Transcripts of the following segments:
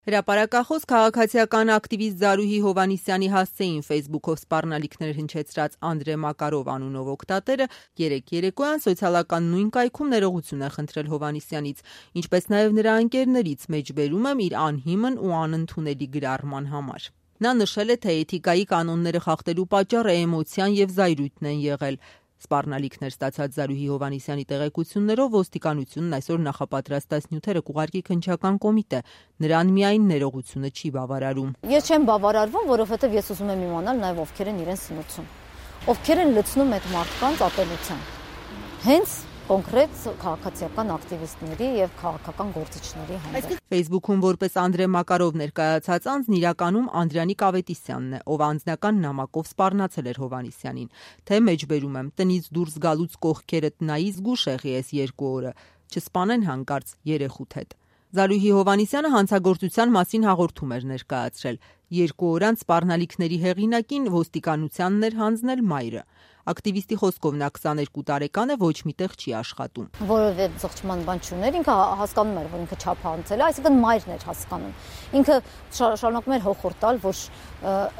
Հրապարակախոս քաղաքացիական ակտիվիստ Զարուհի Հովհաննիսյանի հասցեին Facebook-ով սպառնալիքներ հնչեցրած Անդրե Մակարով անունով օգտատերը երեկ երեկոյան սոցիալական նույն կայքում ներողություն է խնդրել Հովհաննիսյանից, ինչպես նաև նրա ընկերներից, մեջբերում եմ իր անհիմն ու անընդունելի գրառման համար։ Նա նշել է, թե էթիկայի կանոնները խախտելու պատճառը էմոցիան և զայրույթն են եղել։ Սպառնալիքներ ստացած Զարուհի Հովհաննիսյանի տեղեկություններով ոստիկանությունն այսօր նախապատրաստած նյութերը կուղարկի քննչական կոմիտե, նրան միայն ներողությունը չի բավարարում։ Ես չեմ բավարարվում, որովհետև ես ուզում եմ իմանալ նաև ովքեր են իրեն սնուցում, ովքեր են լցնում այդ մարդկանց ատելության, հենց կոնկրետ քաղաքացիական ակտիվիստների և քաղաքական գործիչների հանդեպ։ Facebook-ում որպես Անդրե Մակարով ներկայացած անձն իրականում Անդրանիկ Ավետիսյանն է, ով անձնական նամակով սպառնացել էր Հովհաննիսյանին, թե մեջբերում եմ, տնից դուրս գալուց կողքերդ նայի զգուշ եղի ես 2 օրը, չսպանեն հանկարծ երեխուդ հետ։ Զարուհի Հովհաննիսյանը հանցագործության մասին հաղորդում էր ներկայացրել։ 2 օր անց սպառնալիքների հեղինակին ոստիկանությանն էր հանձնել մայրը։ Ակտիվիստի խոսքով նա 22 տարեկան է, ոչ միտեղ չի աշխատում։ Որևէ զղջման բան չուներ, ինքը հասկանում էր, որ ինքը չափ հանցել է, այսինքն մայրն էր հասկանում։ Ինքը շարունակում էր հոխորդ տալ, որ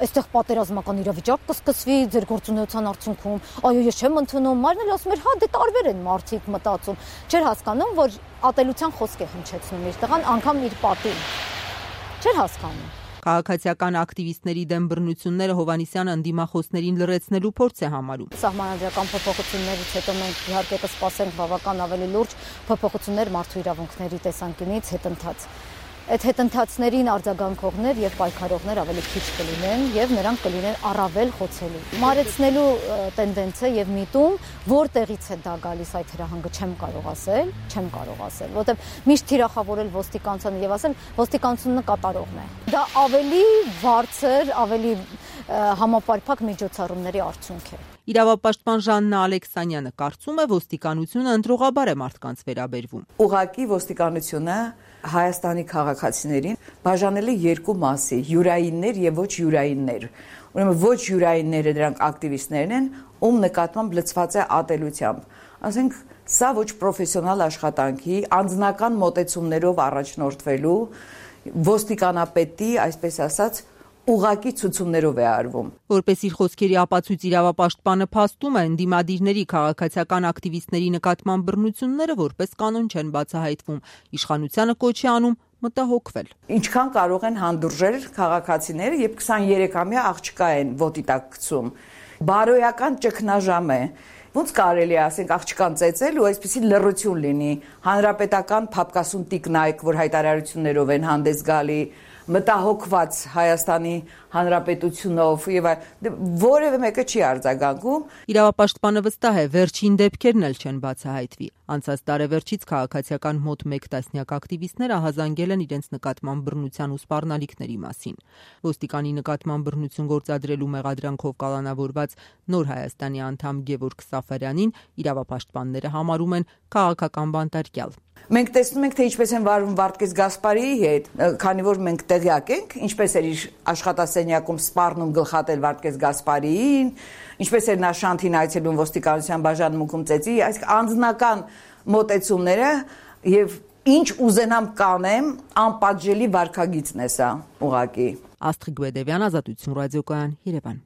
այստեղ պատերազմական իրավիճակ կսկսվի ձեր գործունեության արդյունքում, այո, ես չեմ ընդունում, մայրն էլ ասում էր, հա, դե տարբեր են մարդիկ մտածում։ Չէր հասկանում, որ ատելության խոսք է հնչեցնում իր տղան, անգամ իր պատին։ Չէր հասկանում։ Քաղաքացիական ակտիվիստների դեմ բռնությունները Հովհաննիսյանը ընդդիմախոսներին լրացնելու փորձ է համարում։ Սահմանադրական փոփոխություններից հետո մենք իհարկե կսպասենք բավական ավելի լուրջ փոփոխություններ մարդու իրավունքների տեսանկյունից հետընթաց։ Այդ հետընթացներին արձագանքողներ եւ պայքարողներ ավելի քիչ կլինեն եւ նրանք կլինեն առավել խոցելի։ Մարեցնելու տենդենսը եւ միտում, որտեղից է դա գալիս այդ հրահանգը չեմ կարող ասել, որտեղ միշտ թիրախավորել ոստիկանությանը եւ ասել ոստիկանությունը կատարողն է։ Դա ավելի բարձր, ավելի համապարփակ միջոցառումների արդյունք է։ Իրավապաշտպան Ժաննա Ալեքսանյանը կարծում է, ոստիկանությունը ընտրողաբար է մարդկանց վերաբերվում։ Ուղղակի ոստիկանությունը Հայաստանի քաղաքացիներին բաժանել է 2 մասի՝ յուրայիններ եւ ոչ յուրայիններ։ Ուրեմն ոչ յուրայինները դրանք ակտիվիստներն են, ում նկատմամբ լցված է ատելությամբ։ Ասենք սա ոչ պրոֆեսիոնալ աշխատանքի, անձնական մոտեցումներով առաջնորդվելու ոստիկանապետի, այսպես ասած, ուղղակի ցուցումներով է արվում։ Որպես իր խոսքերի ապացույց իրավապաշտպանը փաստում է, ընդդիմադիրների քաղաքացիական ակտիվիստների նկատմամբ բռնությունները որպես կանոն չեն բացահայտվում։ Իշխանությանը կոչ է անում մտահոգվել։ Ինչքան կարող են հանդուրժել քաղաքացիները, երբ 23-ամյա աղջկա են ոտի տակ գցում։ Բարոյական ճգնաժամ է։ Ոնց կարելի է, ասենք, աղջկան ծեծել ու այսպեսի լռություն լինի։ Հանրապետական փապկասուն տիկնայք, որ հայտարարություններով են հանդես գալի, մտահոգված Հայաստանի Հանրապետությունով եւ որևէ մեկը չի արձագանքում։ Իրավապաշտպանը վստահ է, վերջին դեպքերն էլ չեն բացահայտվի։ Անցած տարեվերջից քաղաքացիական մոտ 1 տասնյակ ակտիվիստներ ահազանգել են իրենց նկատմամբ բռնության ու սպառնալիքների մասին։ Ոստիկանի նկատմամբ բռնություն գործադրելու մեղադրանքով կալանավորված Նոր Հայաստանի անդամ Գևորգ Սաֆարյանին իրավապաշտպանները համարում են քաղաքական բանտարկյալ։ Մենք տեսնում ենք, թե ինչպես են վարվում Վարդգես Գասպարիի հետ, քանի որ մենք տեղյակ ենք, ինչպես էր իր աշխատասենյակում սպառնում գլխատել Վարդգես Գասպարիին, ինչպես էր նա Շանթին այցելում ոստիկանության բաժանմունքում ծեծի, այս անձնական մոտեցումները եւ ինչ ուզենամ կանեմ, անպատժելի վարքագիծն է սա, ուղղակի։ Աստղիկ Բեդևյան, Ազատություն ռադիոկայան, Երևան։